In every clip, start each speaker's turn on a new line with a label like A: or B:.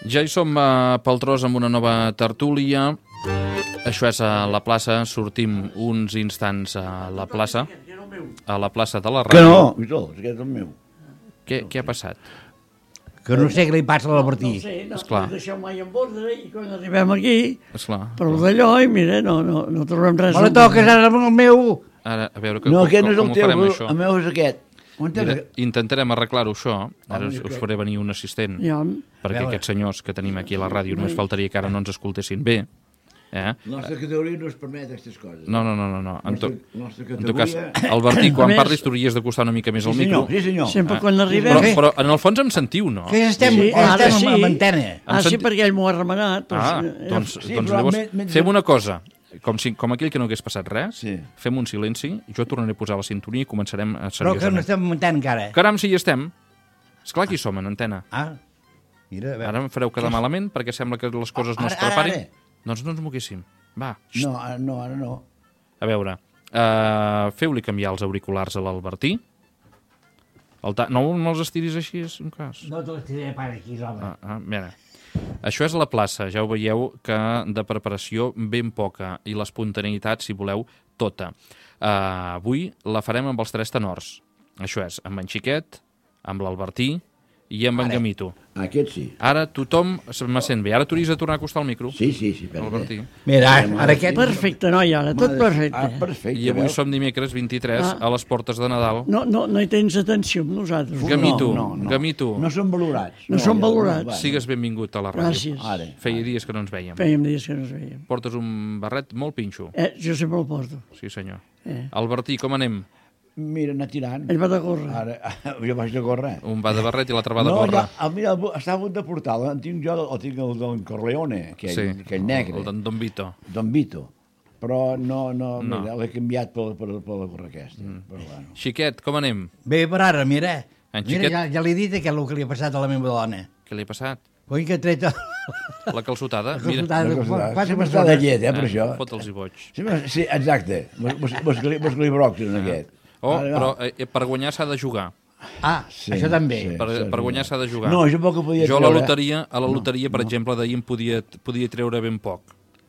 A: Ja hi som a Paltrós amb una nova tertúlia. Això és a la plaça. Sortim uns instants a la plaça de la ràdio.
B: Que no, aquest és el meu.
A: Què ha passat?
C: Que no sé què li passa a la Martí.
D: No sé, no
A: Esclar.
D: deixeu mai en ordre i quan arribem aquí,
A: Esclar.
D: però d'allò, i mira, no trobem res.
C: Me la toques ara amb el meu.
A: Ara, a veure,
B: No, aquest no és
A: com
B: el
A: ho
B: teu,
A: farem, això?
B: el meu és aquest.
A: Mira, intentarem arreglar-ho, això. Ara us faré venir un assistent,
D: Ja,
A: perquè aquests senyors que tenim aquí a la ràdio només faltaria que ara no ens escoltessin bé.
B: La nostra categoria no es permet aquestes coses.
A: No. En tot cas,
B: categoria...
A: Albertí, quan
D: A més-
A: parlis t'hauries d'acostar una mica més al
B: Sí,
A: micro.
B: senyor, sí, senyor.
D: sempre quan arribem...
A: Però en el fons em sentiu, no?
C: Que estem,
D: Sí, ara
C: estem
D: sí.
C: amb antena.
D: Sí, perquè ell m'ho ha remenat.
A: Doncs
B: sí,
A: llavors
B: però
A: fem una cosa. Com aquell que no hagués passat res,
B: Sí.
A: fem un silenci, jo tornaré a posar la sintonia i començarem
C: Però que no
A: seriosament.
C: estem amb antena encara.
A: Caram, si hi estem. Esclar que hi som, en antena.
C: Mira, a veure.
A: Ara em fareu quedar malament perquè sembla que les coses no es
B: Ara,
A: preparin.
B: ara.
A: Doncs no ens moguéssim. Va,
B: No, ara no.
A: a veure, feu-li canviar els auriculars a l'Albertí. No els estiris així, és un cas.
C: No te l'estiré per aquí, home.
A: Mira. Això és la plaça, ja ho veieu que de preparació ben poca i l'espontaneïtat, si voleu, tota. Avui la farem amb els tres tenors. Això és, amb en Xiquet, amb l'Albertí i amb en Gamito.
B: Aquest sí.
A: Ara tothom me sent bé. Ara t'hauries de tornar a acostar el micro,
B: Sí,
A: Albertí.
C: Mira, ara aquest...
D: Perfecte, noi, ara, tot perfecte.
B: Perfecte.
A: I avui
B: veus?
A: som dimecres 23 a les portes de Nadal.
D: No hi tens atenció amb nosaltres.
A: Gamito,
B: No.
A: Gamito,
B: No són valorats.
D: No són valorats.
B: va.
A: sigues benvingut a la ràdio.
D: Gràcies.
B: Ara.
A: Feia dies que no ens vèiem.
D: Fèiem dies que no ens veiem.
A: Portes un barret molt pinxo.
D: Jo sempre el porto.
A: Sí, senyor. Albertí, com anem?
B: Mira, anar tirant.
D: Ell va de córrer.
B: Ara, jo vaig de córrer.
A: Un va de barret i l'altre va de
B: No,
A: gorra.
B: mira, està a punt de portar. El tinc jo, el tinc el Don Corleone, aquell negre.
A: El d'en Don Vito.
B: Don Vito. Però mira, l'he canviat per la gorra aquesta. Però bueno.
A: Xiquet, com anem?
C: Bé, per ara, mira.
A: En
C: Mira,
A: Xiquet?
C: ja li he dit que és el que li ha passat a la meva dona.
A: Què li ha passat?
C: Coi que ha tret
A: La calçotada?
C: la consultada.
B: Sí, m'està de llet, per això.
A: Fot'ls i boig.
B: Sí, exacte. Mos broxen, aquest.
A: Oh, però per guanyar s'ha de jugar.
B: Sí,
C: Això també.
B: sí.
A: Per guanyar s'ha de jugar.
B: No, jo poc que podia
A: Jo a la
B: treure.
A: loteria, per exemple, d'ahir em podia treure ben poc.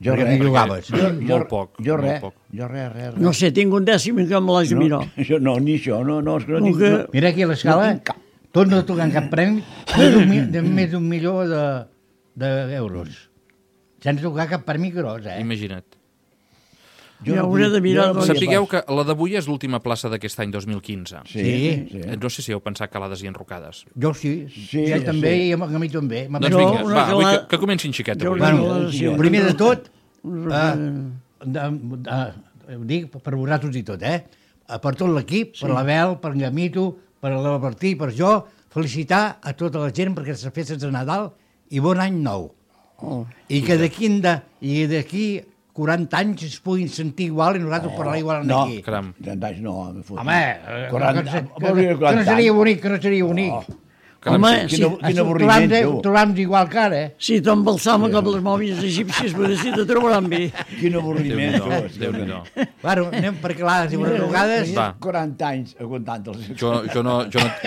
B: Jo
C: Perquè no hi jugaves.
A: Molt poc.
B: Jo
A: molt
B: res.
A: poc.
B: Jo res.
D: No sé, tinc un dècim i que me l'has de mirar.
B: No, ni això. No, és que no
D: Com
B: tinc...
D: que-
B: no.
C: Mira aquí a l'escala,
B: No tinc cap.
C: tots no tocant cap premi, de més d'un milió d'euros. Sense tocar cap premi gros,
A: Imagina't.
D: Ja hauré de mirar.
B: jo no
A: Sapigueu que la d'avui és l'última plaça d'aquest any 2015.
C: Sí.
A: No sé si heu pensat calades i enrocades.
C: Jo sí,
B: Sí,
C: ell també
B: sí.
C: i a mi també.
A: Doncs
D: Jo,
A: vinga,
D: una
A: va, avui
D: calada-
A: que comenci en Xiquet
D: Jo
A: avui.
D: una
C: Bueno,
D: declaració.
C: primer de tot,
D: Un
C: ho dic per vosaltres i tot, per tot l'equip, per l'Abel, per en Gamito, per l'Albertí, per jo, felicitar a tota la gent perquè les festes de Nadal i bon any nou. I que d'aquí 40 anys es puguin sentir igual i nosaltres parlar igual
B: No,
C: aquí.
A: Caram.
B: 30 anys no, me fot.
C: Home,
B: 40,
C: que no seria bonic, que no seria bonic.
D: Home, sí,
B: quin avorriment, tu.
C: Trobam-nos igual que ara,
D: si t'embalsama com les mòmies egípcies, però si te trobaran bé.
B: Quin avorriment, tu.
A: Déu-n'hi-do.
C: Bueno, anem per calades i vegades.
A: Va.
B: 40 anys aguantant-los.
A: Jo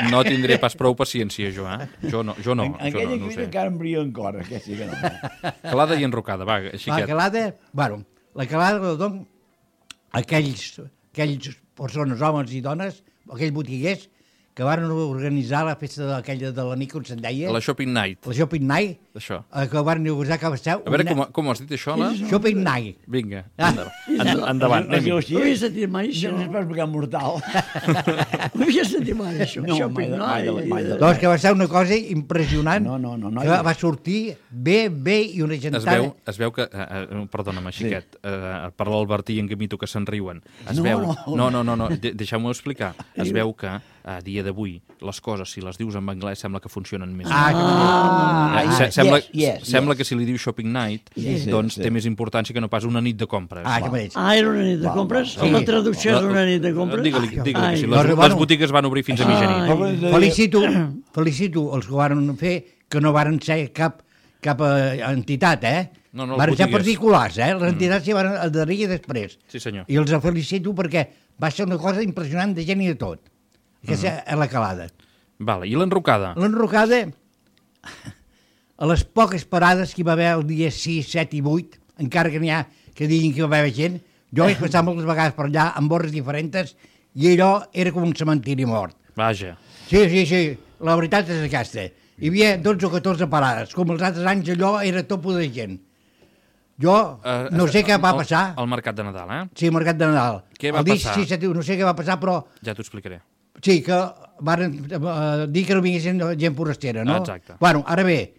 A: no tindré pas prou paciència, jo, Jo no
B: Aquella
A: ho
B: crida
A: sé.
B: encara em bria encara, aquesta sí que no.
A: Calada i enrocada, va,
C: La
A: Xiquet.
C: calada, bueno, la calada la dono a aquells persones, homes i dones, aquells botiguers que van organitzar la festa aquella de la nit, com se'n deia,
A: La Shopping Night,
C: la Shopping Night,
A: això.
C: que van organitzar que va ser
A: A veure, com ho has dit, això, la?
C: Shopping Night.
A: Vinga, endavant,
B: Es
A: anem-hi.
B: diu
D: No
B: així?
D: havia sentit mai això.
B: No és pas pecat mortal.
D: No havia sentit mai això.
B: No,
D: Shopping
B: mai de
D: night.
B: la-
C: Doncs que va ser una cosa impressionant,
B: No,
C: que va sortir bé i una gentada.
A: Es veu que... perdona'm, Xiquet, per l'Albertí i en Gamito que se'n riuen. Es
B: No,
A: veu...
B: no.
A: No, deixeu-m'ho explicar. Es veu que a dia d'avui les coses, si les dius en anglès, sembla que funcionen més. Sembla que si li dius Shopping Night, doncs té més importància que no pas una nit de compres.
C: Que mateix.
D: Era una nit de compres? La traducció és una nit de compres?
A: Digue-li que sí.
D: Ai.
A: Les botigues van obrir fins a mitjanit.
C: Felicito els que ho van fer, que no varen ser cap entitat,
A: No, les
C: Van ser
A: botigues.
C: particulars, Les entitats s'hi van adherir després.
A: Sí, senyor.
C: I els felicito perquè va ser una cosa impressionant de gent i de tot. Aquesta és la calada.
A: Vale. I l'enrocada?
C: L'enrocada, a les poques parades que hi va haver el dia 6, 7 i 8, encara que n'hi ha que diguin que hi va haver gent, jo vaig passar moltes vegades per allà amb borres diferents i allò era com un cementiri mort.
A: Vaja.
C: Sí, la veritat és aquesta. Hi havia 12 o 14 parades, com els altres anys allò era topo de gent. Jo no sé què va passar.
A: El mercat de Nadal, eh?
C: Sí, el mercat de Nadal.
A: Què va passar?
C: Sí, no sé què va passar, però...
A: Ja t'ho explicaré.
C: Sí, que van dir que no vinguessin gent forastera, no?
A: Exacte.
C: Bueno, ara bé,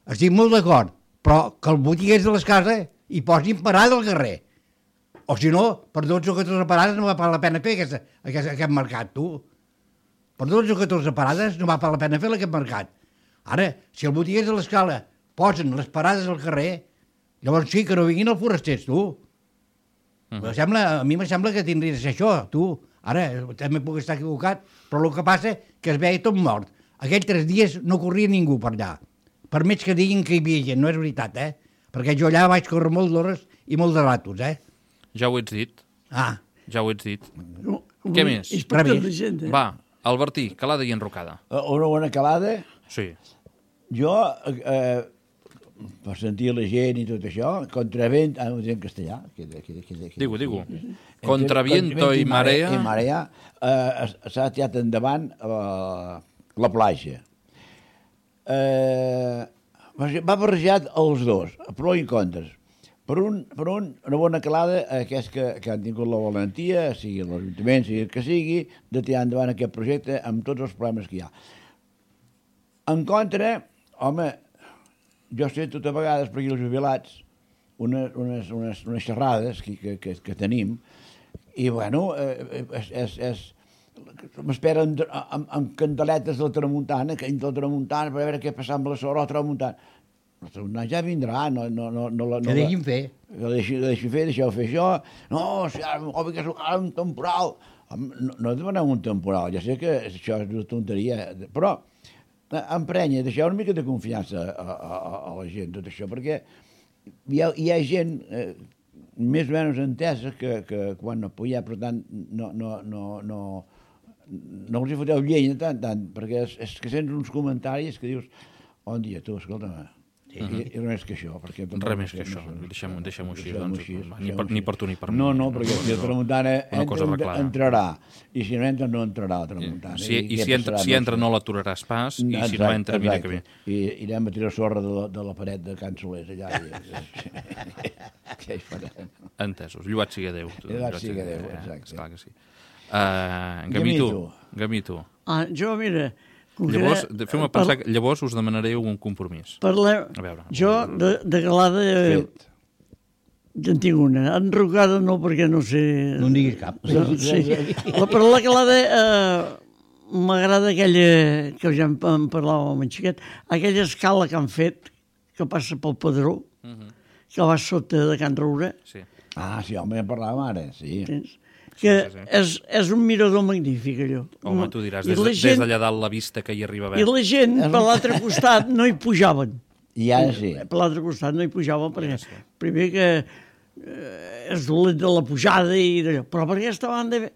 C: estic molt d'acord, però que els botiguers de les cases hi posin parada al carrer. O si no, per 12 o 14 parades no va pagar la pena fer aquest mercat, tu. Per 12 o 14 parades no va pagar la pena fer aquest mercat. Ara, si els botiguers de l'escala posen les parades al carrer, llavors sí que no vinguin els forasters, tu. A mi me sembla que tindria de ser això, tu. Ara, també puc estar equivocat, però el que passa que es veia tot mort. Aquells 3 dies no corria ningú per allà. Per més que diguin que hi havia gent, no és veritat, Perquè jo allà vaig córrer molt d'hores i molt de ratos,
A: Ja ho ets dit. Ja ho ets dit. Què més? Va, Albertí, calada i enrocada.
B: Una bona calada?
A: Sí.
B: Jo, per sentir la gent i tot això, contravent, ho dic en castellà.
A: Digue. Contra viento i marea.
B: I marea, s'ha tirat endavant la platja. Va barrejat els dos, pro i contres. Per un, una bona calada, aquests que han tingut la valentia, sigui l'Ajuntament, sigui el que sigui, de tirar endavant aquest projecte amb tots els problemes que hi ha. En contra, home, jo sé tot a vegades per aquí els jubilats, unes xerrades que tenim, i bueno, m'esperen amb candeletes de la tramuntana, per veure què passa amb la sort, la tramuntana. La tramuntana ja vindrà,
C: que deixin fer.
B: Que deixeu fer això. No, si ara un temporal. No demanem un temporal, ja sé que això és una tonteria, però emprenya, deixeu una mica de confiança a la gent, tot això, perquè hi ha gent més o menys entesa que quan no podia, per tant, no els hi foteu llenya tant, perquè és que sents uns comentaris que dius, bon dia, tu, escolta'm, i res que això.
A: Res més que això, deixem-ho així, ni per tu ni per mi.
B: No, perquè si la tramuntana entrarà, i si no entra, no entrarà la tramuntana.
A: Si entra no l'aturaràs pas, i si no entra, mira que bé.
B: I irem a tirar sorra de la paret de Can Solers, allà. Què hi farem?
A: Entesos, lluat sigui Déu.
B: Lluat sigui Déu, exacte.
A: Esclar que sí. Gamito.
D: Jo, mira...
A: Llavors, feu-me pensar que llavors us demanaré un compromís.
D: Jo, de calada, ja en tinc una. Enrocada no, perquè no sé...
C: No en diguis cap.
D: Però la calada m'agrada aquella, que ja en parlàvem amb en Xiquet, aquella escala que han fet, que passa pel Pedró, que va sota de Can Roure.
A: Sí.
B: Sí, home, en parlàvem ara, sí.
D: Que és un mirador magnífic, allò.
A: Home, tu diràs, des d'allà dalt la vista que hi arriba a veure.
D: I la gent, per l'altre costat, no hi pujaven.
B: I ara sí.
D: Per l'altre costat no hi pujaven, perquè primer que és dolent de la pujada i d'allò. Però per aquesta banda,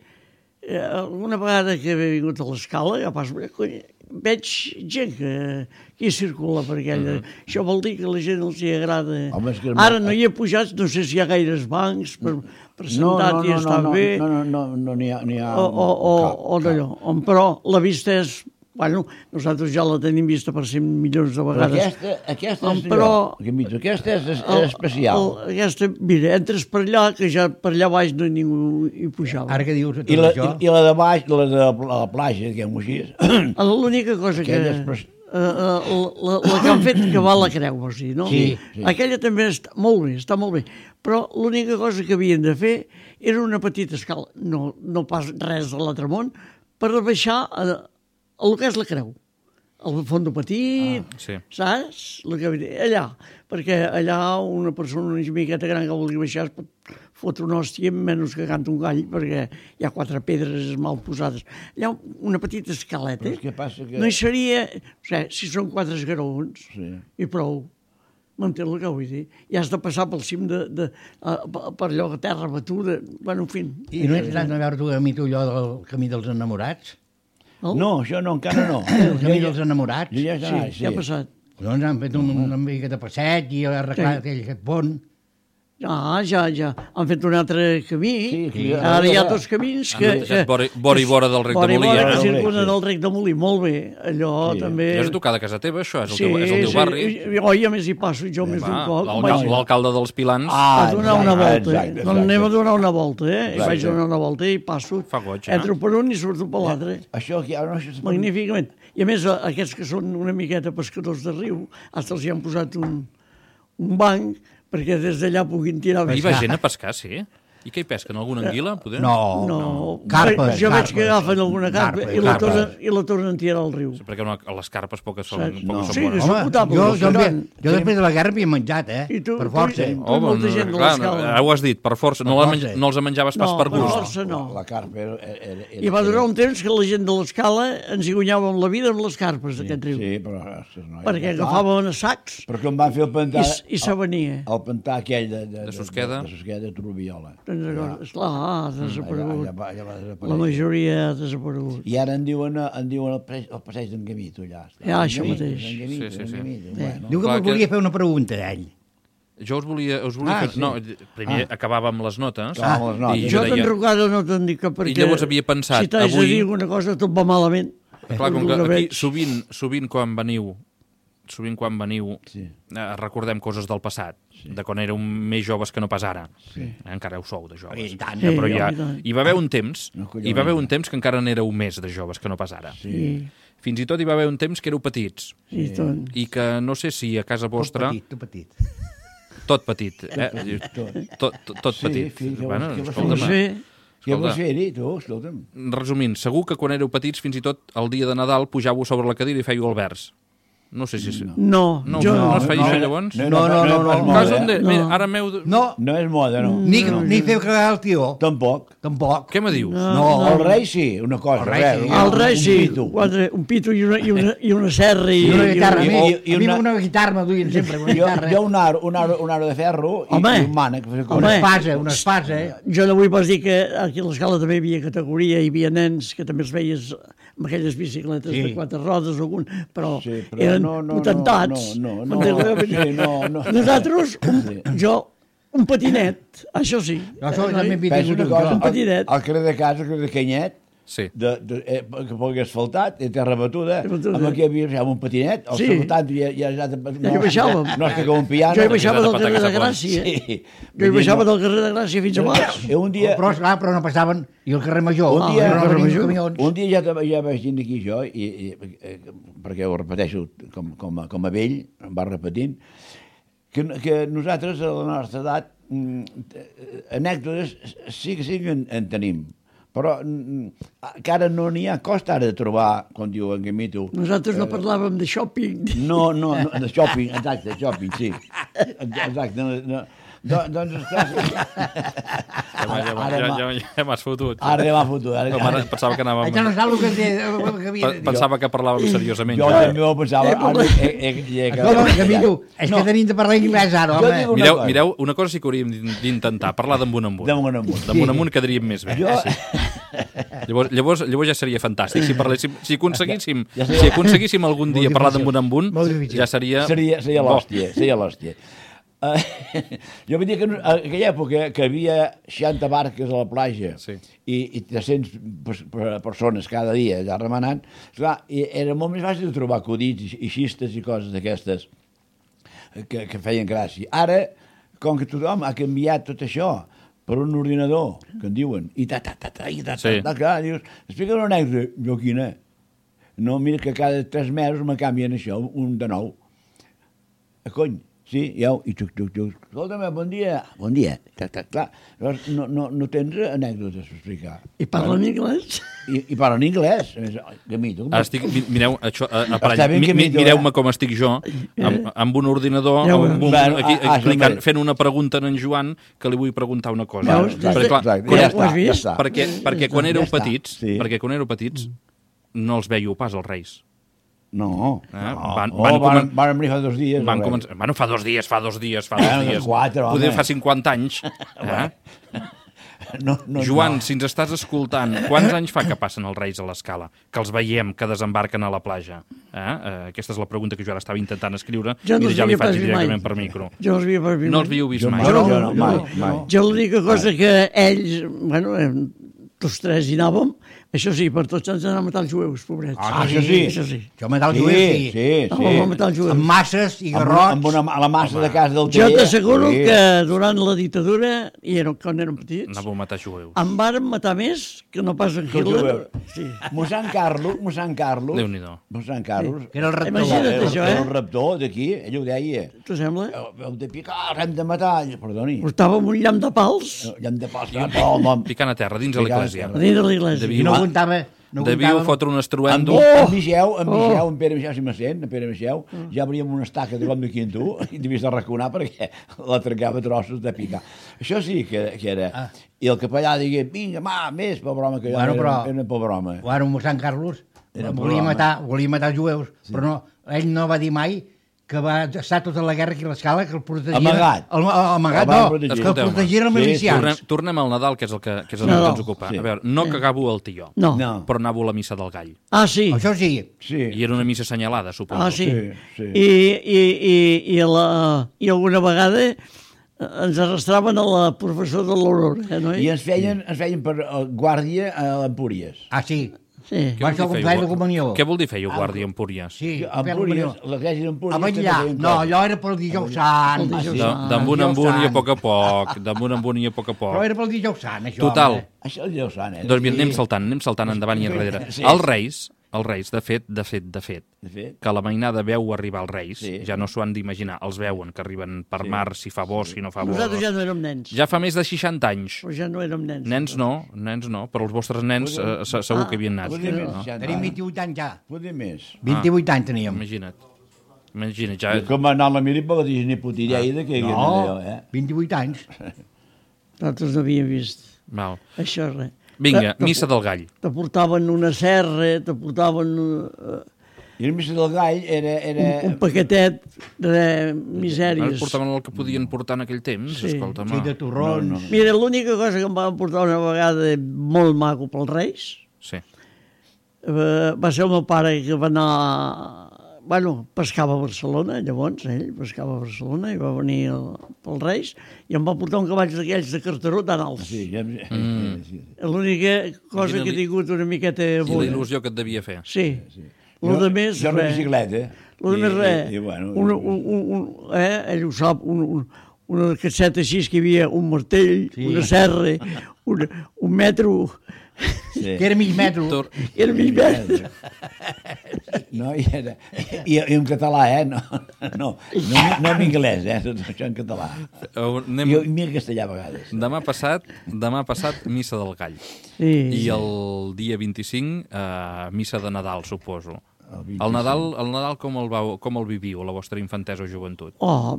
D: alguna vegada que he vingut a l'escala, ja pas, veig gent que hi circula per aquella. Això vol dir que a la gent els hi agrada. Ara no hi he pujat, no sé si hi ha gaires bancs per sentat i està bé.
B: No n'hi ha
D: o d'allò. Però la vista és... Bueno, nosaltres ja la tenim vista per 100 milions de vegades.
B: Aquesta és especial.
D: Aquesta, mira, entres per allà, que ja per allà baix no ningú hi pujava.
C: Ara que dius tot
B: això... I la de baix, la de la platja, diguem-ho així...
D: L'única cosa que... La que han fet que va la creu, vols dir, no?
C: Sí.
D: Aquella també està molt bé. Però l'única cosa que havien de fer era una petita escala, no pas res de l'altre món, per baixar el que és la creu. El fondo petit, saps? Allà, perquè allà una persona una miqueta gran que vulgui baixar es pot fotre una hòstia menys que canta un gall, perquè hi ha 4 pedres mal posades. Allà una petita escaleta, no hi seria... O sigui, si són 4 esgarons, i prou. M'entén el que vull dir? I has de passar pel cim per allò de terra batuda, bueno, en fi.
C: I no ets anat a veure tu a mi allò del camí dels enamorats?
B: No, això no, encara no.
C: Els amics dels enamorats.
B: Jo ja
D: Sí,
B: està,
D: què ha passat?
C: Doncs han fet una mica de passeig i han arreglat aquest pont.
D: Ja. Han fet un altre camí.
B: Sí.
D: Ara hi ha dos camins que...
A: Vora i vora del rec de Molí.
D: Vora que
B: eh?
D: circulen el rec de Molí, molt bé. Allò
B: Sí.
D: també...
A: És a tocar de casa teva, això? És el teu barri?
D: Oi, a més hi passo jo més d'un cop.
A: L'alcalde dels Pilans
D: A donar una volta.
B: exacte.
D: No anem a donar una volta, I
B: Exacte.
D: vaig donar una volta i passo.
A: Fa goig,
D: Entro per un i surto per l'altre.
B: Això que ara no...
D: Magníficament. I a més, aquests que són una miqueta pescadors de riu, hasta els hi han posat un banc perquè des d'allà puguin tirar
A: Hi
D: més.
A: va gent a pescar, sí? I què hi pesquen? Alguna anguila, poder?
D: No,
C: Carpes,
D: jo veig que
C: carpes.
D: agafen alguna carpa
C: Carpes.
D: i la tornen a tirar al riu.
A: Sí, perquè a les carpes poques són,
D: Saps?
A: poques
D: Sí,
A: són bones.
D: que són potables.
C: Jo després de la guerra havia menjat,
D: I tu-
C: per força.
D: tu- molta gent de
A: clar,
D: l'escala.
A: ara ho has dit, per força. No,
C: força.
A: no els menjaves pas
D: No,
A: per
D: per
A: gust.
D: força no.
B: La carpa era...
D: I va durar un temps que la gent de l'escala ens hi guanyàvem la vida amb les carpes d'aquest riu.
B: Sí, però... ostres, no,
D: Perquè agafàvem a sacs
B: Perquè em van fer el pantà...
D: i se venia.
B: El pantà aquell de
A: Susqueda.
B: De Susqueda, de Trubiola.
D: Esclar, ha desaparegut.
B: Ja va desaparèixer.
D: La majoria ha desaparegut.
B: I ara en diuen el passeig d'en Gamito, allà.
D: Ja, això mateix.
A: Sí.
B: Bueno.
C: Diu que
A: Clar,
C: volia fer una pregunta d'ell.
A: Jo us volia fer...
B: sí.
A: No, primer acabàvem les notes.
B: Acabàvem les notes.
A: I
D: Jo
A: deia-
D: d'enrugada no te'n dic que perquè...
A: llavors havia pensat,
D: si t'haig
A: avui-
D: de dir alguna cosa, tot va malament.
A: Clar, com que
D: El
A: aquí
D: veig.
A: sovint quan veniu
B: Sí.
A: recordem coses del passat, de quan éreu més joves que no pas ara. Encara ho sou de joves.
C: I tant.
D: Sí,
A: Però ja,
D: i tant.
A: hi va haver un temps,
B: No, collons.
A: hi va haver un temps que encara n'éreu més de joves que no pas ara.
D: Sí,
A: Fins i tot hi va haver un temps que éreu petits
D: i tot.
A: i que no sé si a casa vostra...
C: Tu petit.
A: Tot petit, tot
B: Sí,
A: petit.
B: fill, què
A: Bueno,
B: vols
A: escolta'm,
D: fer?
B: Què vols
A: escolta,
B: fer-hi, tu? Escolta'm.
A: resumint, segur que quan éreu petits, fins i tot el dia de Nadal, pujàveu sobre la cadira i fèieu el vers. No sé si...
D: No,
A: No,
D: jo
A: no es feia això llavors?
C: No.
A: Cas on de...
D: No.
A: Mira, ara meu...
C: No,
B: No és moda, no.
C: ni fer cagar el tió.
B: Tampoc.
C: Tampoc.
A: Què me dius?
C: No.
B: El rei sí, una cosa.
C: El rei sí.
D: el rei sí,
B: Un pito.
D: un pito i una serra
C: I una guitarra.
B: i-
C: A
B: i
C: mi
B: una-
C: una guitarra me duien sempre. Una
B: Jo,
C: guitarra.
B: un aro de ferro i
D: Home.
B: un mànec.
C: Una espasa,
D: Jo no vull pas dir que aquí a l'escala també hi havia categoria, hi havia nens que també els veies amb aquelles bicicletes
C: Sí.
D: de 4 rodes o algun, però,
B: Sí, però
D: eren
B: no,
D: potentats.
B: no.
D: M'entens?
B: Sí, no.
D: Nosaltres, un patinet, això sí.
C: Jo també m'he
B: Penso
C: tingut
B: una cosa,
D: un petitet.
B: al carrer de casa, al carrer de Canyet,
A: Sí.
B: que pugui asfaltat, i terra batuda,
D: Batuda.
B: amb aquí havia un patinet, al
D: Sí.
B: asfaltat ja
D: Ja hi baixàvem.
B: No és que com un piano.
D: Jo hi baixava del carrer de
A: pataques a
D: Gràcia.
B: Sí.
D: Jo hi baixava del carrer de Gràcia fins a baix.
B: I un dia,
C: Però, esclar, però no passaven. I el carrer Major.
B: Un dia-
C: no
D: carrer
C: venien
D: Major.
C: camions.
B: un dia ja vaig dir aquí jo, perquè ho repeteixo com a vell, em va repetint, que nosaltres a la nostra edat anècdotes sí que en tenim, però que ara no n'hi ha costa ara de trobar, com diu en Gamito.
D: Nosaltres no parlàvem de shopping.
B: No, de shopping, exacte, shopping, sí. Exacte, no. Doncs, ostres,
A: Ja m'has fotut.
B: ara ja m'ha fotut.
A: No, mare, pensava que anàvem...
C: Això no saps el que havia de dir.
A: Pensava que parlàvem seriosament.
B: Jo
A: ja.
B: també ho pensava.
C: Escolta, Camilo, és que tenim de parlar anglès ara,
B: Jo
C: home.
B: dic
A: Mireu, mireu, una cosa sí que hauríem d'intentar, parlar d'Amunt Amunt.
B: Damunt amunt.
A: Damunt Amunt quedaríem més bé.
B: Jo...
A: Llavors ja seria fantàstic. Si aconseguíssim,
B: Ja
A: si aconseguíssim algun dia
C: Molt
A: parlar
C: difícil.
A: d'Amunt Amunt,
C: Molt difícil.
A: ja seria...
B: Seria
A: bo.
B: l'hòstia. Jo vull dir que en aquella època que havia 60 barques a la platja
A: Sí.
B: i 300 persones cada dia allà remenant, esclar, era molt més fàcil de trobar acudits i xistes i coses d'aquestes que feien gràcia. Ara, com que tothom ha canviat tot això per un ordinador, que en diuen, i
A: Sí.
B: clar, dius, explica una anècdota, jo quina? No, mira que cada 3 mesos me canvien això, un de nou. Cony, sí, ja, i xuc. Escolta'm, bon dia. Bon dia. Clar, llavors no tens anècdotes per explicar.
D: I parlen anglès?
B: I parlen anglès. A més, Gamito,
A: Ara estic, mireu, això,
B: Està ben que millor,
A: mireu-me com estic jo, amb un ordinador,
D: Ja ho
A: amb un,
B: veus.
A: aquí, explicant,
B: Hombre.
A: fent una pregunta a en Joan que li vull preguntar una cosa.
D: Veus?
A: Perquè, clar,
B: Exacte,
A: quan-
B: ja
D: ho has
B: està,
D: vist?
B: ja està.
A: perquè quan éreu
B: Ja està,
A: petits,
B: sí.
A: no els veieu pas els Reis.
B: No.
A: Van
B: Van venir fa 2 dies.
A: Van
B: o res.
A: començar... Bueno, fa dos dies.
B: Bueno, 4, home.
A: Poder fa 50 anys. Joan, si ens estàs escoltant, quants anys fa que passen els Reis a l'Escala? Que els veiem, que desembarquen a la platja? Aquesta és la pregunta que jo ara estava intentant escriure.
D: Jo no
A: Mira, ja li
D: els
A: faig
D: havia pas
A: directament
D: vist
A: per micro.
D: Jo els havia pas vist
A: No
D: mai.
A: els havíeu vist
B: Jo
A: mai?
B: no, mai.
D: Jo l'única cosa que ells, bueno, tots tres hi anàvem, això sí, per tots ens anàvem a matar els jueus, pobrets.
B: Això sí.
D: Això sí.
C: Jo matar els jueus, sí.
D: Anàvem a matar els jueus.
C: Amb masses i
B: Amb
C: garrots.
B: a la massa de casa del
D: Jo
B: taller.
D: t'asseguro
B: Sí.
D: que durant la dictadura, i quan érem petits,
A: Anàveu a matar jueus.
D: en varen matar més que no pas en
B: Que els
D: Hitler.
B: jueus.
D: Sí.
B: Mossèn Carlos.
A: Déu-n'hi-do.
B: Mossèn Carlos.
C: Que era el rector.
D: Imagina't
B: Era
D: això,
B: el raptor d'aquí, ell ho deia.
D: T'ho sembla?
B: Heu de picar, hem de matar. Perdoni.
D: Portàvem un llamp de pals
B: Hem de passar pel nom.
A: Picant a terra, dins de l'església.
D: a dins de l'església.
C: I no comptava... No
A: Devíeu
C: comptava...
A: fotre un estruendo.
B: En Mixeu, en Pere Mixeu, si me sent, en Pere Mixeu, ja obríem una estaca de com de quinto i devies de raconar perquè la trencava a trossos de picar. Això sí que era. I el capellà digué, vinga, més per broma, que jo era una per broma.
C: Bueno, mossèn Carlos
B: Era
C: volia matar els jueus, però no, ell no va dir mai que va estar tota la guerra aquí a l'Escala, que el protegien...
B: Amagat.
C: Amagat,
B: El van
C: no,
B: protegir.
C: que el protegien els
B: Sí,
C: milicians.
A: Tornem al Nadal, que és el que ens
D: Nadal.
A: ocupa.
B: Sí.
A: A veure, no cagavo el tió,
D: No.
B: No.
A: però anava a la missa del gall.
D: Ah, sí.
C: Això sí.
B: Sí.
A: I era una missa assenyalada, suposo.
D: Ah, sí.
B: Sí.
D: I alguna vegada ens arrastraven a la professora de l'Aurora, no?
B: I ens feien per guàrdia a l'Empúries.
C: Ah, sí.
D: Sí.
C: Va ser el complet de comunió.
A: Què vol dir feia guàrdia en Púries?
C: Sí,
B: Empúries, l'església d'Empúries...
C: a vetllar. No, allò era pel dijous sant.
D: El dijous
A: D'amunt en amunt i a poc a poc. D'amunt en amunt i a poc a
C: Però
A: poc.
C: era pel dijous sant, això.
A: Total.
C: home.
B: Això és Déu sant, eh?
A: Doncs mira, anem saltant endavant i enrere.
B: Sí.
A: Els Reis, de fet,
B: De fet.
A: que la mainada veu arribar els Reis,
B: Sí.
A: ja no s'ho han d'imaginar, els veuen, que arriben per mar, si fa bo, si no fa bo.
D: Nosaltres ja no érem nens.
A: Ja fa més de 60 anys.
D: Però ja no érem nens.
A: Nens no, però els vostres nens segur que havien anat.
B: Poder més,
A: No?
B: ja,
C: Tenim 28 anys ja.
B: Poder més.
C: 28 anys teníem.
A: Imagina't, ja...
B: I com anar a la mili per la Disney Putireida, que
C: No, 28 anys.
D: Nosaltres no havíem vist
A: Val.
D: això, res.
A: Vinga, missa del gall.
D: Te portaven una serra, te portaven
B: I el missa del gall era...
D: un paquetet de
A: Ara
D: misèries.
A: portaven el que podien portar en aquell temps,
D: Sí.
A: escolta,
C: Sí, de torrons.
B: No.
D: Mira, l'única cosa que em van portar una vegada molt maco pels Reis
A: Sí.
D: va ser el meu pare que va anar... Bueno, pescava a Barcelona, llavors, ell pescava a Barcelona i va venir pels Reis i em va portar un cavall d'aquells de carteró tan alts.
B: Sí, ja... Sí.
D: L'única cosa que he tingut una miqueta
A: I la
D: bona.
A: il·lusió que et devia fer.
D: Sí. Lo de més,
B: Jo una
D: res.
B: bicicleta.
D: Lo de més, res.
B: I, bueno,
D: ell ho sap, una casseta així que hi havia un martell, una serra, un metro,
B: sí.
C: Que era mig metro.
D: era mig metro.
B: No, i en català, no en anglès, tot això en català. I en castellà a vegades.
A: Demà passat, missa del gall.
D: Sí.
A: I el dia 25, missa de Nadal, suposo. El Nadal com el viviu, la vostra infantesa o joventut?
D: Oh,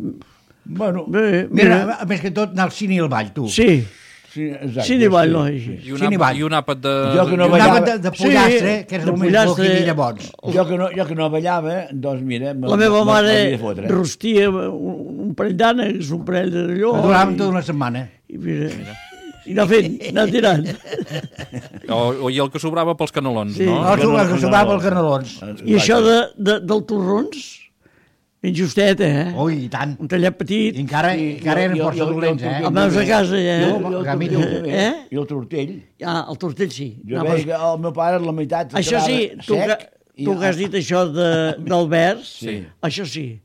B: Bueno,
C: Mira, a més que tot, anar al cine i al ball, tu.
D: sí,
B: sí, exacte.
D: sí, n'hi va, no?
A: I un àpat de...
B: Jo que no
C: Anava
B: ballava...
C: de pollastre, que és
D: de
C: el més bo
D: pollastre.
C: que hi havia llavors.
B: Jo que no ballava, doncs mira...
D: La meva mare
B: m'havia de fotre.
D: rostia un parell d'ànecs, un parell d'allò.
C: Duràvem tota una setmana.
D: I mira, i anar fent, anar tirant.
A: I el que sobrava pels canelons,
D: Sí.
A: no?
C: No, que sobrava els canelons.
D: I això del torrons, ben justet,
C: Ui, i tant.
D: Un tallet petit.
C: I encara eren força dolents,
D: El meus a casa,
B: I el tortell.
D: Ah, el tortell sí.
B: Jo
D: No,
B: veig que el meu pare la meitat...
D: això sí, tu que has dit això del vers,
B: Sí.
D: això sí,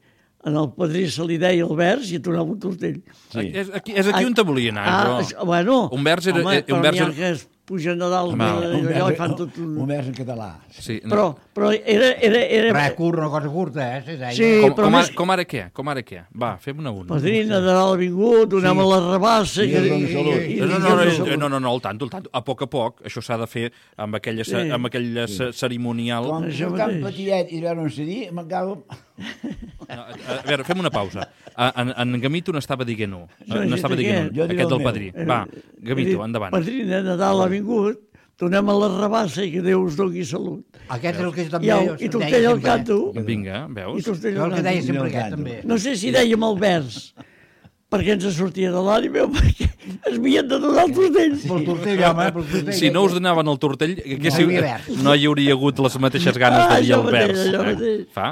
D: en el padrí se li deia el vers i et donava un tortell.
B: Sí.
A: És aquí on te volia anar, però...
D: això, bueno,
A: Un vers era...
D: home,
A: un vers
D: però n'hi ha
A: era...
D: que es pugen a dalt
A: Home,
D: allò i fan tot un...
B: Un vers en català.
A: Sí, no.
D: Però era...
C: Res curt, una cosa curta, se deia.
D: Sí, però més...
A: Com ara què? Va, fem una.
D: Padrina de dalt vingut, donem a la rabassa...
B: Sí,
A: No, el tanto. A poc, això s'ha de fer amb aquella cerimonial.
B: Com
D: Això
B: tan
D: mateix.
B: petitet i veure on cedir, me'n cago...
A: A veure, fem una pausa. En Gamito n'estava dient-ho.
D: Jo
A: N'estava
D: he dit
A: dient
B: aquest.
A: aquest del
B: Jo
A: padrí.
B: dic
A: Va, Gamito, endavant.
D: Padrina de dalt ha vingut, donem a la rabassa i que Déu us doni salut.
C: Aquest és el que jo també
D: I tortell al canto.
A: Vinga,
D: I
A: veus?
D: tortell
C: Jo
D: al
C: el que deia
D: canto.
C: sempre aquest, també.
D: No sé si dèiem el vers, perquè ens sortia de l'ànima, perquè es havien de donar el tortell.
C: Pel tortell, home, pel tortell.
A: Si no us donaven el tortell,
C: verd.
A: no hi hauria hagut les mateixes ganes de dir
D: allò
A: el
D: mateix,
A: vers.
D: allò mateix.
A: Fa?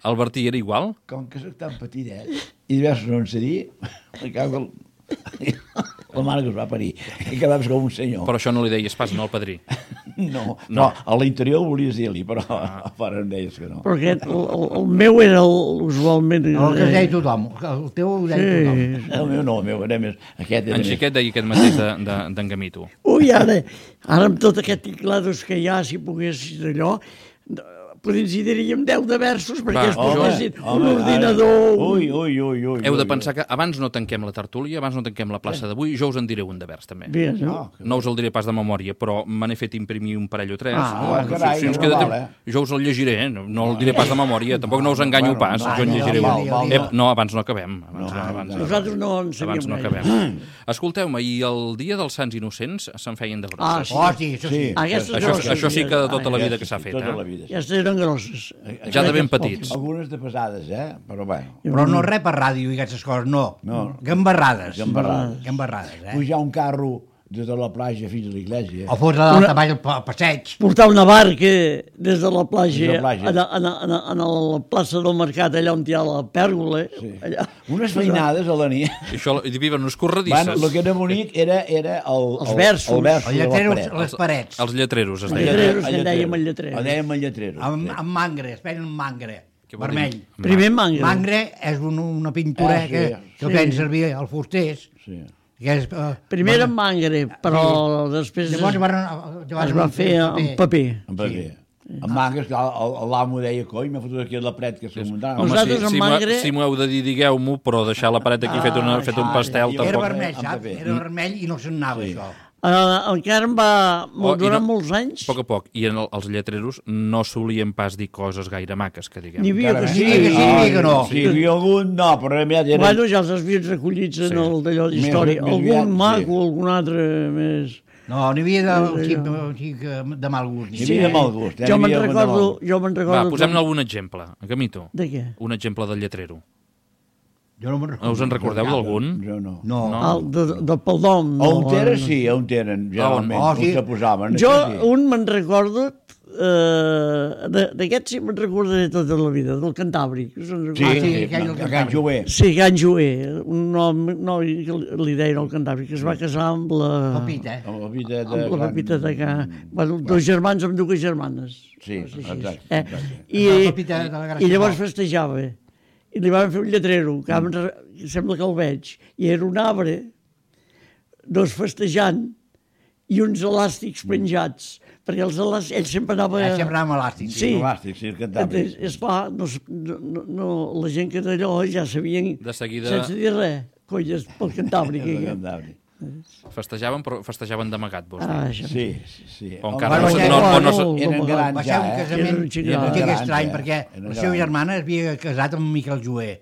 A: El Bertí era igual?
B: Com que soc tan petitet, i diversos no en sé dir, me cago el... la mare que es va parir, i quedaves com un senyor.
A: Però això no li deies pas, no, al padrí.
B: No, a l'interior volies dir-li, però a fora em deies que no.
D: Però aquest, el meu era usualment...
C: El que deia tothom, el teu ho deia tothom.
B: El meu no, el meu era més... Aquest era
A: En Xiquet deia aquest mateix d'en Gamito.
D: Ui, ara amb tot aquest teclados que hi ha, si poguessis allò, potser si diríem 10 de versos perquè es posessin un ordinador...
B: Ui.
A: Heu de pensar que abans no tanquem la tertúlia, abans no tanquem la plaça d'avui, jo us en diré un de vers, també.
D: Bé, no?
A: No us el diré pas de memòria, però me n'he fet imprimir un parell o tres.
B: carai,
A: Si ens
B: no
A: queda
B: val,
A: temps, jo us el llegiré, no el diré pas de memòria, tampoc no us enganyo pas, jo en llegiré un. No, abans no acabem.
D: Nosaltres no en
A: Abans
D: sabíem
A: no
D: gaire.
A: acabem. Escolteu-me, i el dia dels Sants Innocents se'n feien de grosses.
C: Oh, sí, això sí.
D: Aquestes grosses,
A: Això sí que de tota la vida que s'ha fet.
B: Tota la vida.
D: Aquestes eren grosses.
A: Ja de ben petits.
B: Algunes de pesades, però bueno.
C: Però no res per ràdio i aquestes coses, no. Gambarrades. Gambarrades,
B: Pujar un carro des de la platja fins a l'església.
C: O fotre dalt avall al passeig.
D: Portar una barca des de la platja,
B: Des de la platja.
D: a la plaça del mercat, allà on hi ha la pèrgola. Allà.
B: Unes feinades a la nit.
A: I això hi viven unes
B: Bueno,
A: corredisses.
B: el que era bonic era
D: Els versos.
B: el vers
C: El
B: de
C: lletrer,
B: la paret.
C: les parets.
A: Els lletreros, es
D: Els
A: deia.
D: lletreros, que en dèiem el lletrer.
B: El dèiem el lletreros.
C: Amb mangre, es feien amb mangre.
A: Què vol
C: Vermell.
A: dir?
D: Primer mangre.
C: Mangre és una pintura
B: Sí,
C: que feien servir els fusters.
B: Sí.
C: Que és,
D: Primer en mangre, però després
C: Llavors
D: es va fer en paper.
B: En paper. En mangues, l'amo deia, coi, m'ha fotut aquí la paret que s'ho muntava.
A: Home,
D: Nosaltres amb mangre-
A: si m'ho heu de dir, digueu-m'ho, però deixar la paret aquí fet un pastel,
B: ja.
C: Era
A: tampoc...
C: vermell,
B: Amb
C: saps?
B: paper.
C: Era vermell i no se'n anava, això.
D: Encara em va durar
A: i
D: molts anys.
A: A poc. I els lletreros no solien pas dir coses gaire maques, que diguem.
D: N'hi havia que sí.
C: Sí, que no.
B: Sí, hi havia algun, no, però aviat era...
D: Bueno, ja els havien recollits en el d'allò d'història.
B: Més aviat,
D: Algun
B: sí.
D: maco, algun altre més...
C: No, n'hi havia de mal gust.
B: Hi havia de mal gust.
D: Jo me'n
B: N'hi havia algun de mal
D: recordo...
B: gust.
D: Jo me'n recordo...
A: Va, posem-ne algun exemple. Gamito,
D: De què?
A: un exemple del lletrero.
C: Jo no me'n recordo.
A: Us en recordeu d'algun?
B: Jo no.
C: No.
D: De Paldom.
B: On tenen, sí, on tenen, generalment,
C: Oh,
B: on
C: sí.
B: se posaven.
D: Jo,
B: això sí.
D: un me'n recordo... D'aquest sí me'n recordaré tota la vida, del Cantàbric.
B: Sí,
C: sí, aquell
B: a Can Jover.
D: Sí, Can Joer, un noi que li deien el Cantàbric, que es va casar amb la...
C: Pepita,
B: Amb la vida de...
D: Amb la Pepita de Can... Bueno, dos germans amb dues germanes.
B: Sí, exacte.
D: I,
C: La Pepita de la Gràcia
D: I llavors
C: Nova.
D: festejava. I li van fer un lletrero, que sembla que el veig, i era un arbre, dos festejant, i uns elàstics penjats, perquè els elàstics, ell sempre anava...
C: Sempre anàvem elàstics.
D: Sí.
B: Elàstic, sí, el Cantàbric.
D: Esclar, la gent que d'allò ja sabien,
A: De seguida-
D: sense dir res, colles pel Cantàbric.
B: El
D: aquell.
B: Cantàbric.
A: Festejaven, però festejaven d'amagat, vols dir?
D: Això.
B: Sí.
A: O encara
C: Bueno,
A: no
C: ja-
B: Eren grans
C: Va ser
B: ja,
C: un casament
D: Era un xic gran.
C: que
B: Grans,
C: estrany,
B: ja.
C: perquè
B: Eren
C: la seva
B: grans.
C: germana es havia casat amb Miquel Joer.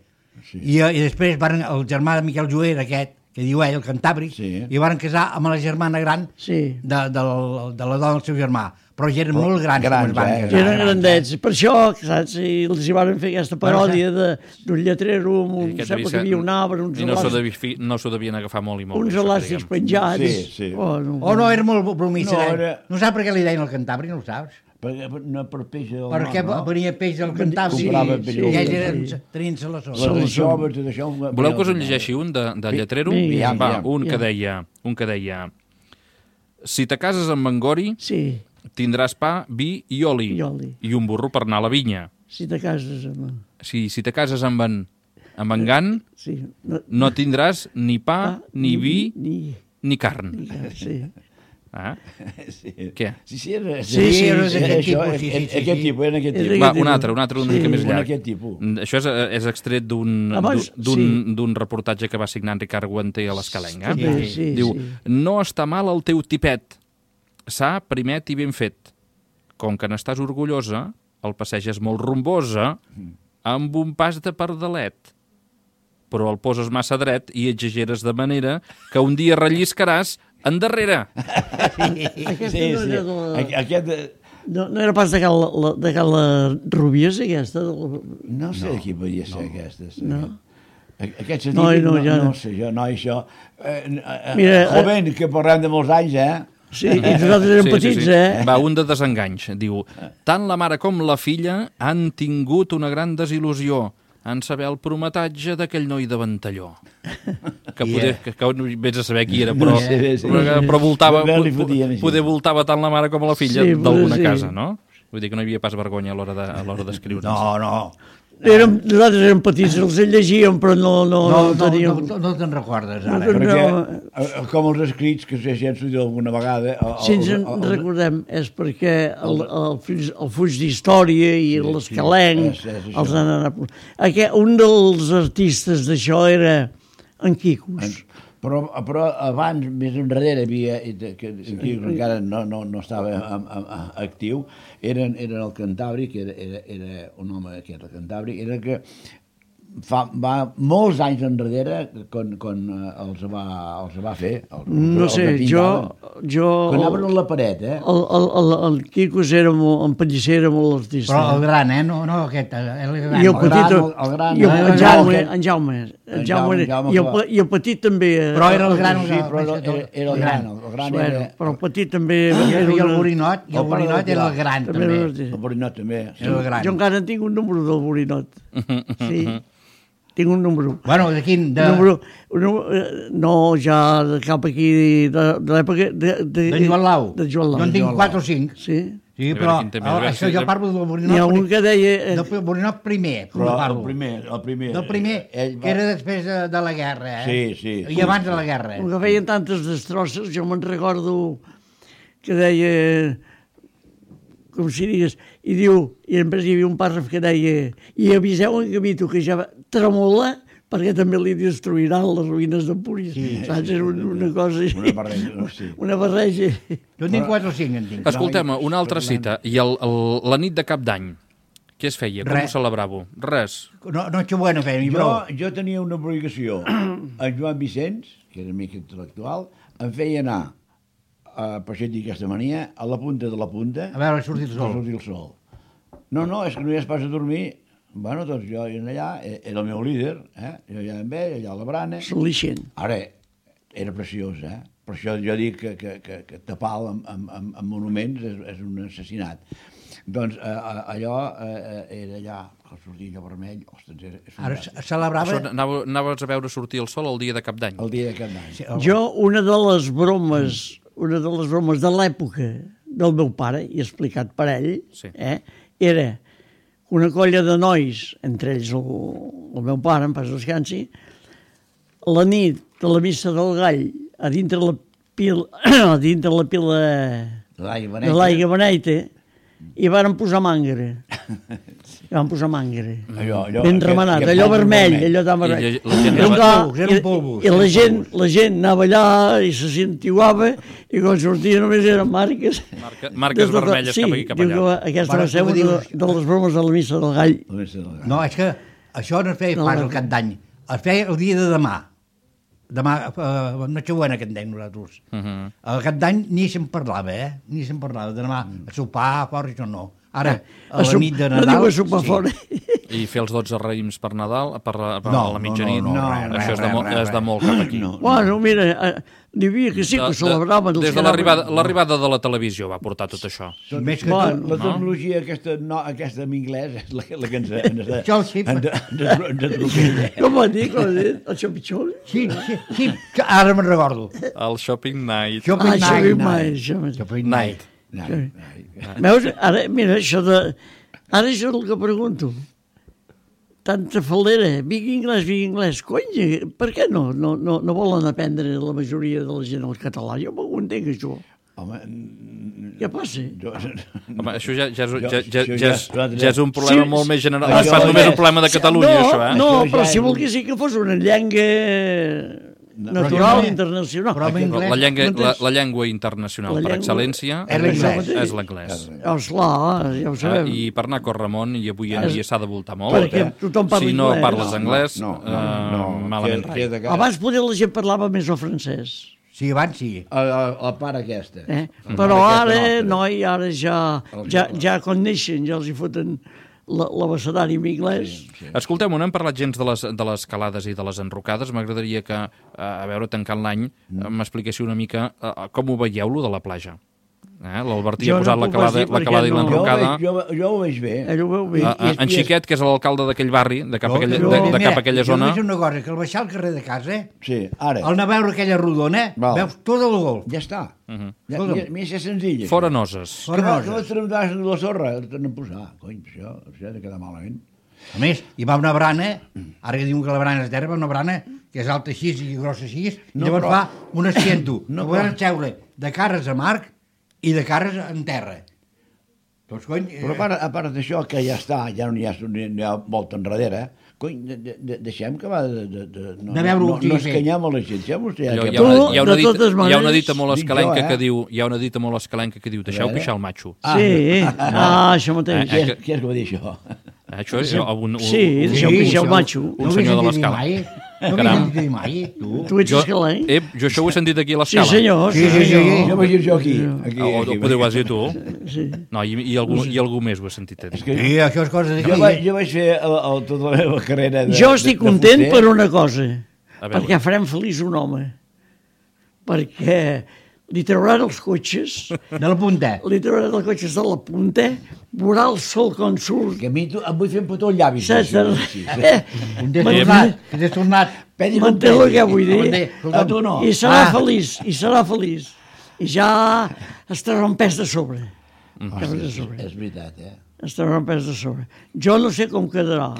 C: I després el germà de Miquel Joer, aquest, que diu ell, el Cantàbric,
B: Sí.
C: i van casar amb la germana gran
D: Sí.
C: de la dona del seu germà. Però ja eren molt grans,
B: grans,
C: quan es van
B: eh?
C: casar.
D: Eren grandets. Per això, saps, i els hi van fer aquesta paròdia d'un lletrero, amb un,
A: Aquest
D: sembla
A: devia
D: que hi havia
A: ser-
D: un arbre, uns
A: I no s'ho
D: elàstics,
A: no s'ho devien agafar molt i molt.
D: uns
A: bé, això,
D: elàstics
A: diguem.
D: penjats.
B: Sí.
D: Oh, no.
C: O no, era molt bromista.
B: No,
C: No,
B: era-
C: no saps per què li deien el Cantàbric, no ho saps?
B: No per peix del
C: Perquè
B: mar, no?
C: venia peix del Cantàbric.
B: Comprava
C: I
B: peix
C: ells
B: del
C: eren, tenien salassó.
B: Les joves, tot això...
A: Voleu que us en llegeixi un de lletrero?
D: vinga,
A: Va,
B: vinga.
A: un que deia... Si te cases amb Mangori,
D: Sí,
A: tindràs pa, vi i oli.
D: I oli.
A: I un burro per anar a la vinya.
D: si te cases amb...
A: Si te cases amb en Gan,
D: Sí,
A: no tindràs ni pa, ni vi,
D: Ni...
A: ni carn.
D: Sí.
A: Ah?
B: Sí.
A: Què?
B: Sí, era...
C: Sí, era d'aquest
B: això,
C: tipus, sí,
B: Aquest tipus, era aquest
D: Era
B: tipus.
A: Va,
D: tipus.
A: un altre una mica més
B: Un
A: llarg.
B: aquest tipus.
A: Això és extret
D: Abans,
A: d'un reportatge que va signar en Ricard Guanter a l'Escalenga.
D: També, sí,
A: Diu,
D: sí.
A: no està mal el teu tipet, sa, primet i ben fet. Com que n'estàs orgullosa, el passeges molt rombosa, amb un pas de pardalet. Però el poses massa dret i exageres de manera que un dia relliscaràs endarrere.
D: Aquesta
B: Sí,
D: no
B: sí.
D: era de la...
B: Aquest...
D: No era pas de Cal Rubies, aquesta?
B: No sé de qui podia ser aquesta.
D: No?
B: Aquests
D: No, ja
B: no
D: no.
B: sé jo, no, això...
D: Mira,
B: joven, que parlem de molts anys,
D: Sí, i nosaltres érem petits,
A: Va, un de desenganys. Diu, tant la mare com la filla han tingut una gran desil·lusió en saber el prometatge d'aquell noi de Ventalló. Que vés a saber qui era, però, però voltava, poder voltava tant la mare com la filla d'alguna casa, no? Vull dir que no hi havia pas vergonya a l'hora d'escriure.
B: No.
D: Nosaltres érem petits, els llegíem, però no teníem...
C: No te'n recordes, ara.
B: Perquè, com els escrits, que si ens ho diu alguna vegada...
D: Si ens en recordem, és perquè el fuig d'història i l'escalenc els han anat... Un dels artistes d'això era en Quicos.
B: Però abans, més enrere, havia, que encara no estava actiu, era el Cantàbric, era un home que era el Cantàbric, era que va molts anys enrere quan els va fer.
D: No sé, jo...
B: Que anaven a la paret,
D: El Quicos era en Pellicer era molt artista.
C: Però el gran, no aquest, el gran.
D: I el petit...
B: El gran.
D: En Jaume. I el petit també...
C: Però era el gran.
B: Sí, però era el gran.
D: Però el petit també...
C: I el Borinot era el gran, també.
B: El Borinot també.
D: Jo encara en tinc un número del Borinot. Sí. Tinc un número.
C: Bueno, de quin?
D: No, ja de cap aquí, de l'època...
C: De Joan Lau.
D: De Joan Lau.
C: Jo en tinc 4 o 5.
D: Sí.
C: Sí, però això jo parlo del Borinot.
D: N'hi ha un que deia...
C: Del Borinot primer.
B: Però el primer.
C: Del primer, que era després de la guerra.
B: Sí.
C: I abans de la guerra.
D: Com que feien tantes destrosses, jo me'n recordo que deia... com si digués, i diu, i després hi havia un pàrraf que deia, i aviseu en Gavito que ja tremola perquè també li destruiran les ruïnes d'Empúries. Sí, saps? Era una cosa... Una barreja.
C: Jo en tinc 4 o 5, en tinc.
A: Escoltem, una altra cita. I la nit de Cap d'Any, què es feia? Com ho celebràveu? Res.
C: Nochebuena feien, bro.
B: Jo tenia una obligació. En Joan Vicenç, que era amic intel·lectual, em feia anar per això et dic aquesta mania, a la punta de la punta...
C: A veure, sortir el sol.
B: No, és que no hi has pas a dormir. Bueno, doncs jo allà, era el meu líder, jo allà amb ell, allà a la brana...
D: Solixent.
B: Ara, era preciós, Per això jo dic que tapar amb monuments és un assassinat. Doncs allò era allà, al sortir allò vermell... Ostres,
C: ara celebrava...
A: Anaves a veure sortir el sol el dia de Cap d'Any.
B: El dia de Cap d'Any.
D: Jo, una de les bromes de l'època del meu pare, i explicat per ell, era una colla de nois, entre ells el meu pare, en pas descansi, la nit de la missa del gall, a dintre la pila de l'aigua beneita, i varen posar mangre. Van posar mangre. Ben remenat, allò vermell, allò tan vermell.
C: Eren polvos.
D: I la gent anava allà i se sentiuava i quan sortia només eren marques.
A: Marques vermelles cap aquí, cap allà.
D: Diu que aquesta va ser una de les bromes de la missa del gall.
C: No, és que això no es feia pas el Cap d'Any. Es feia el dia de demà. Demà, Nochebuena, que en dèiem nosaltres. El Cap d'Any ni se'n parlava, Ni se'n parlava. De demà a sopar, fora, això no. Ara, a la nit de Nadal...
D: No diu a sopar fora.
A: I fer els 12 raïms per Nadal, per la mitjanit.
B: No,
A: això és de molt cap aquí.
D: Bueno, mira, n'hi havia que sí que ho celebraven.
A: Des de l'arribada de la televisió va portar tot això.
B: Més que tot, la tecnologia aquesta en anglès és la que ens atropella.
D: Com va dir? El xopitxol?
C: Sí, ara me'n recordo.
A: El Shopping Night.
C: Shopping Night.
D: Veus? Ara, mira, ara això és el que pregunto. Tanta faldera, vigui anglès, cony, per què no volen aprendre la majoria de la gent el català? Jo m'ho entenc, això.
B: Home,
D: què passa?
A: Home, això ja és un problema molt més general. No és pas només un problema de Catalunya, això,
D: No, però si volgués que fos una llengua natural, internacional.
A: La llengua internacional per excel·lència és l'anglès.
D: Esclar, ja ho sabem.
A: I per anar a Corramon, i avui en dia s'ha de voltar molt.
D: Perquè tothom parla
A: anglès. Si no parles anglès, malament rai.
D: Abans poder la gent parlava més el francès.
C: Sí, abans sí.
B: La part aquesta.
D: Però ara, noi, ara ja quan neixen, ja els hi foten l'abecedari en anglès.
A: Escolteu-me, no hem parlat gens de les calades i de les enrocades. M'agradaria que, a veure, tancant l'any, m'expliquéssiu una mica com ho veieu, lo de la platja. L'Albertí ha posat la calada i l'enrocada.
B: Jo ho veig bé.
D: Ell ho veu bé.
A: En Xiquet, que és l'alcalde d'aquell barri, de cap a aquella zona...
C: Jo veig una cosa, que al baixar al carrer de casa,
B: Sí, ara.
C: al anar a veure aquella rodona, veus tot el golf.
B: Ja està. Més és senzill.
A: Fora noses.
B: Que vas tremtar la sorra, tornen a posar. Cony, això ha de quedar malament.
C: A més, hi va una brana, ara que diuen que la brana és terra, va una brana que és alta així i grossa així, i llavors fa un asiento. No podem seure de cares a mar i de cares en terra. Doncs, cony...
B: Però a part d'això, que ja està, ja no hi ha volta enrere, cony, deixem que va no escanyem a la gent.
A: Hi ha una dita molt escalenca que diu, deixeu pixar el matxo.
D: Sí, això mateix.
B: Qui és que va dir això?
A: Això és
D: deixeu pixar el matxo.
A: Un senyor de l'escala.
C: No m'hi has dit mai, tu?
D: Tu ets escalenc?
A: Jo això ho he sentit aquí a l'escala.
D: Sí, senyor.
B: Jo vaig dir jo aquí.
A: Ho podeu dir tu? No, i algú més ho he sentit.
C: Sí, això és cosa d'aquí.
B: Jo vaig fer tota la meva carrera de...
D: Jo estic content per una cosa, perquè farem feliç un home. Perquè li trauran els cotxes...
C: De la punta.
D: Li trauran els cotxes de la punta, veurà el sol quan surt.
B: Que a mi em vull fer un petó al llavi.
C: Que t'has tornat.
D: M'entén el que vull dir?
B: A tu no.
D: I serà feliç, I ja estarà un pes de sobre.
B: És veritat,
D: Estarà un pes de sobre. Jo no sé com quedarà.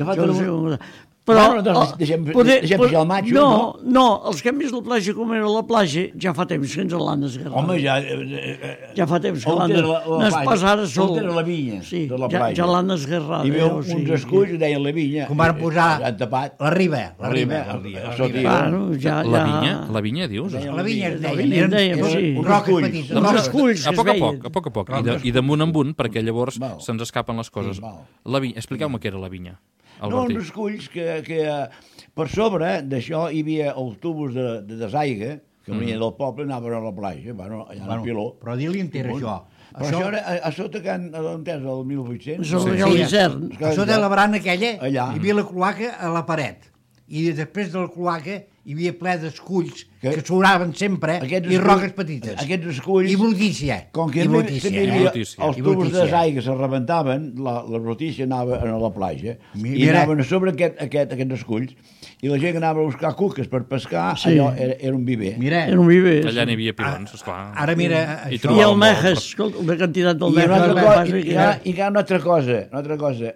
B: Però deixem pujar el matxo, no?
D: No, els que hem vist la platja com era la platja, ja fa temps que ens l'han esgarrat.
B: Home,
D: ja fa temps que l'han esgarrat. No és pas ara sol.
B: On era la vinya de la platja?
D: Ja l'han esgarrat.
B: Hi havia uns esculls que deien la vinya.
C: Com van posar la riba.
A: La vinya, dius?
C: La vinya es deien. Eren roques petites.
D: Uns esculls
A: a poc a poc. I damunt en un, perquè llavors se'ns escapen les coses. Expliqueu-me què era la vinya.
B: No, uns esculls que per sobre d'això hi havia els tubos de desaiga que venien del poble i anaven a la platja, allà al Piló.
C: Però di-li enter això.
B: Però això era a sota que han entès el 1800.
D: Això l'hivern.
C: A sota de la brana aquella hi havia la cloaca a la paret. I després de la cloaca hi havia ple d'esculls que sobraven sempre i roques petites.
B: Aquests esculls...
C: I brutícia.
B: Com que els tubos de desaigua se rebentaven, la brutícia anava a la platja i anaven a sobre aquests esculls i la gent anava a buscar cuques per pescar, allò era un viver.
D: Era un viver.
A: Allà n'hi havia pilons, esclar.
C: Ara mira...
D: I el mejes, escolta, una quantitat del mejes.
B: I hi ha una altra cosa.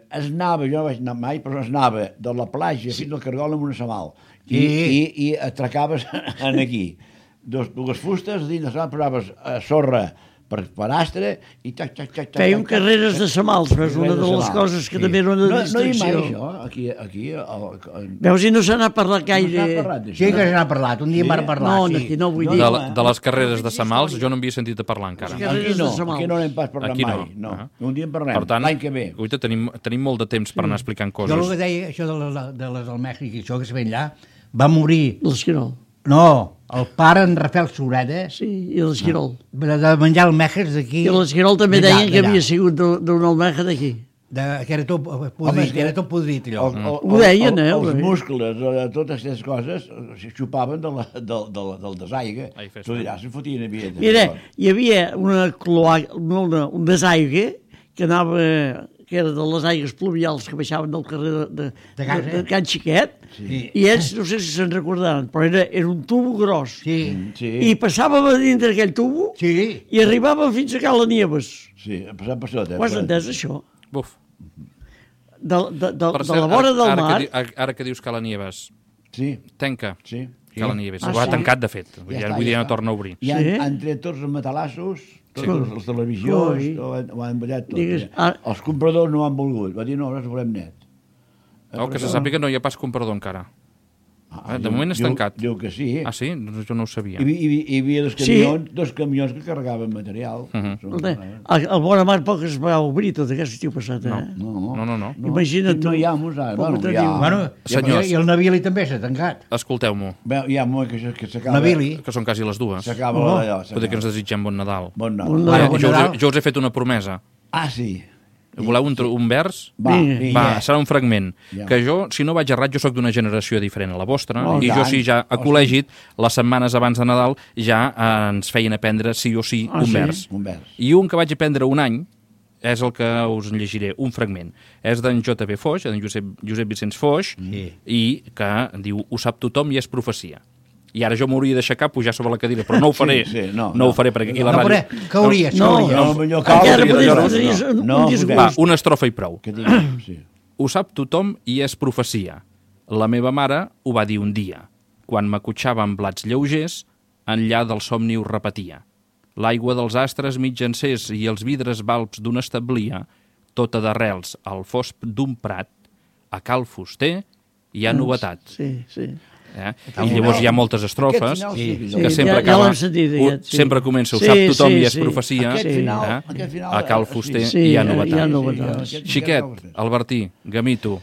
B: Es anava, jo no vaig anar mai, però es anava de la platja fins al Cargol amb una samal. I atracaves aquí. Dues fustes, dins de la posaves sorra per astre i tac.
D: Fèiem carreres de samals, veus, una de les coses que també era una distracció.
B: No hi ha mai això, aquí...
D: Veus, i no se n'ha parlat gaire.
C: Sí que se n'ha parlat, un dia m'ha parlat.
D: No, aquí no vull dir.
A: De les carreres de samals jo no havia sentit a parlar encara.
B: Aquí no n'hem pas parlat mai. Un dia en parlem, l'any que ve.
A: Per tant, tenim molt de temps per anar explicant coses.
C: Jo el que deia, això de les del Mèxic i això que se ven allà, va morir...
D: L'esquirol.
C: No, el pare en Rafael Sureda...
D: Sí, i l'esquirol.
C: De menjar almejes d'aquí...
D: I l'esquirol també deien que havia sigut d'una almeja d'aquí.
C: Que era tot podrit, allò.
D: Ho deien,
B: Els muscles, totes aquestes coses, xupaven del desaiga. Tu diràs, se fotien a vida.
D: Mira, hi havia un desaiga que anava... que era de les aigües pluvials que baixaven del carrer de Can Xiquet, i ells, no sé si se'n recordaran, però era un tubo gros. I passàvem a dintre aquell tubo i arribàvem fins a Cala Nieves.
B: Sí, passant per sota.
D: Ho has entès, això?
A: Buf.
D: De la vora del mar...
A: Ara que dius Cala Nieves, tanca.
B: Sí.
A: Cala Nieves. Ho ha tancat, de fet. Vull dir, ja no torna a obrir.
B: I han tret tots els matalassos, totes les televisions, ho han ballat tot. Els compradors no han volgut. Va dir, no, nosaltres volem net.
A: Que se sàpiga no hi ha pas comprador encara. De moment és tancat.
B: Diu que sí.
A: Ah, sí? Jo no ho sabia.
B: Hi havia dos camions que carregaven material.
D: El Bona Mar poc es va obrir tot aquest estiu passat, eh?
A: No.
D: Imagina't tu.
B: No hi ha música.
C: I el Navili també s'ha tancat.
A: Escolteu-m'ho.
B: Hi ha molt que s'acaba...
C: Navili.
A: Que són quasi les dues.
B: S'acaba allò.
A: Pot dir que ens desitgem bon Nadal.
B: Bon Nadal.
A: Jo us he fet una promesa.
B: Ah, sí.
A: Voleu un vers?
B: Va,
A: Va, serà un fragment.
B: Ja.
A: Que jo, si no vaig errat, jo sóc d'una generació diferent a la vostra,
B: Oh,
A: i jo
B: tant.
A: sí, ja a col·legi, les setmanes abans de Nadal, ja ens feien aprendre sí o sí un
D: sí?
A: vers.
B: Un vers.
A: I un que vaig aprendre un any és el que us en llegiré, un fragment. És d'en J.B. Foix, d'en Josep Vicenç Foix, i que diu, ho sap tothom i és profecia. I ara jo m'hauria d'aixecar, pujar sobre la cadira, però no ho faré.
B: Sí,
A: no ho faré perquè aquí a la
C: No,
A: ràdio...
C: però cauries,
D: No,
C: cauries.
B: No, millor cal.
D: encara
A: no,
D: podries
A: no,
D: un
B: no,
D: disgust.
A: Va, una estrofa i prou.
B: Que diguem, sí.
A: Ho sap tothom i és profecia. La meva mare ho va dir un dia. Quan m'acotxava amb blats lleugers, enllà del somni ho repetia. L'aigua dels astres mig encès i els vidres balbs d'un establia, tota d'arrels al fosc d'un prat, a cal fuster hi ha novetat.
D: Sí, sí.
A: I llavors hi ha moltes estrofes
B: Aquest final
C: Sí.
A: que
D: Sí,
A: sempre
D: ja
A: acaba...
D: l'hem sentit, aquest, sí.
A: Sempre comença, ho
D: Sí,
A: sap tothom
D: sí,
A: i és
D: sí.
A: profecia.
B: Aquest final,
A: A cal fuster
D: Sí,
A: hi ha
D: hi ha
A: novetat.
D: novetats.
A: Xiquet, Albertí, Gamito,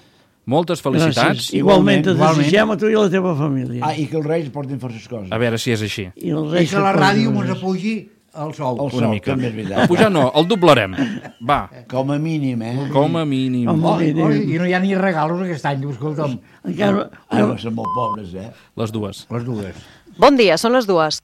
A: moltes felicitats.
D: Gràcies. Igualment te
C: Igualment.
D: desitgem a tu i a la teva família.
B: Ah, i que els reis portin forces coses.
A: A veure si és així.
D: I els
C: I
D: reis
C: que la
D: et
C: ràdio
D: posin
C: mos apugi el sou.
B: El sol, també és
A: A
B: veritat.
A: pujar no, el doblarem. Va,
B: Com a mínim,
A: com a mínim.
D: Home,
C: I no hi ha ni regalos aquest any, escolta'm,
D: encara...
B: Ara són molt pobres,
A: Les dues.
C: les dues.
E: Bon dia, són les 2.